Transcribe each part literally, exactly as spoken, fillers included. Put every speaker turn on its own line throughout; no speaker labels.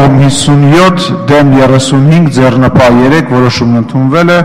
կողմ հիսունյոթ դեմ երեսունհինգ ձեռնպահ երեք որոշումն ընդունվել է,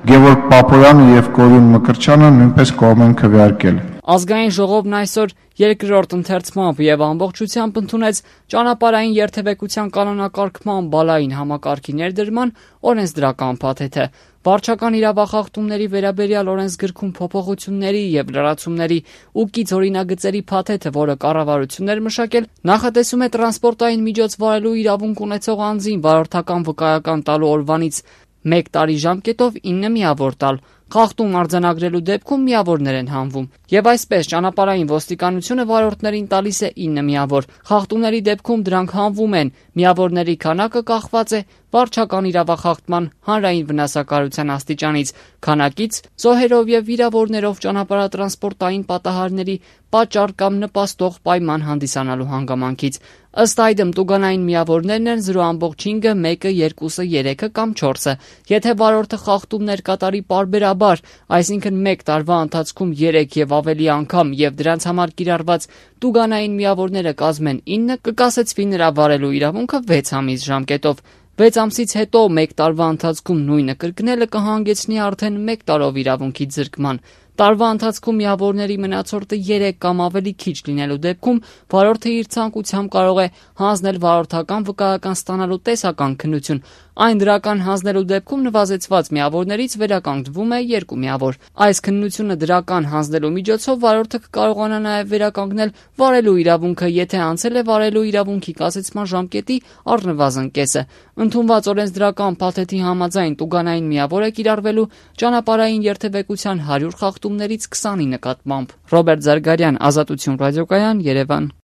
Գևորգ Պապոյանը եւ Կորյուն Մկրտչյանը նույնպես կողմ են քվեարկել։
Ազգային ժողովն այսօր երկրորդ ընթերցմամբ եւ ամբողջությամբ ընդունեց ճանապարհային երթևեկության կանոնակարգման բալային համակարգի ներդրման օրենսդրական փաթեթը։ Վարչական իրավախախտումների վերաբերյալ օրենսգրքում փոփոխությունների եւ լրացումների ու կից օրինագծերի փաթեթը, որը կառավարությունն էր մշակել, նախատեսում է տրանսպորտային միջոց վարելու իրավունք ունեցող անձին վարորդական վկայական տալու օրվանից մեկ տարի ժամկետով ինը միավոր տալ։ Խախտում արձանագրելու դեպքում միավորներ են հանվում։ Եվ այսպես ճանապարհային ոստիկանությունը վարորդներին տալիս է ինը միավոր։ Խախտումների դեպքում դրանք հանվում են։ Միավորների քանակը կախված է վարչական իրավախախտման հանրային վնասակարության աստիճանից, քանակից, զոհերով եւ վիրավորներով ճանապարհատրանսպորտային պատահարների պատճառ կամ նպաստող պայման հանդիսանալու հանգամանքից։ Ըստ այդմ տուգանային միավորներն են զրո ամբողջ հինգը, մեկը, երկուսը, երեքը կամ չորսը։ Եթե վարորդը խախտումներ կատարի պարբերաբար, այսինքն մեկ տարվա ընթացքում երեք եւ ավելի անգամ եւ դրանց համար կիրառված տուգանային միավորները կազմեն ինը, կկասեցվի նրա վարելու իրավունքը վեց ամիս ժամկետով։ վեց ամսից հետո մեկ տարվա ընթացքում նույնը կրկնելը կհանգեցնի արդեն մեկ տարով իրավունքի ձրկման։ Տարվա ընթացքում միավորների մնացորդը երեք կամ ավելի քիչ լինելու դեպքում վարորդը իր ցանկությամբ կարող է հանձնել վարորդական վկայական ստանալու տեսական քննություն։ Այն դրական հանձնելու դեպքում նվազեցված միավորներից վերականգնվում է երկու միավոր։ Այս քննությունը դրական հանձնելու միջոցով վարորդը կկարողանա նաև վերականգնել վարելու իրավունքը, եթե անցել է վարելու իրավունքի կասեցման ժամկետի առնվազն կեսը։ Ընդունված օրենսդրական փաթեթի համաձայն տուգանային միավոր է կիրառվելու ճանապարհային երթևեկության հարյուր խախտումներից քսանի նկատմամբ։ Ռոբերտ Զարգարյան, Ազատություն ռադիոկայան, Երևան։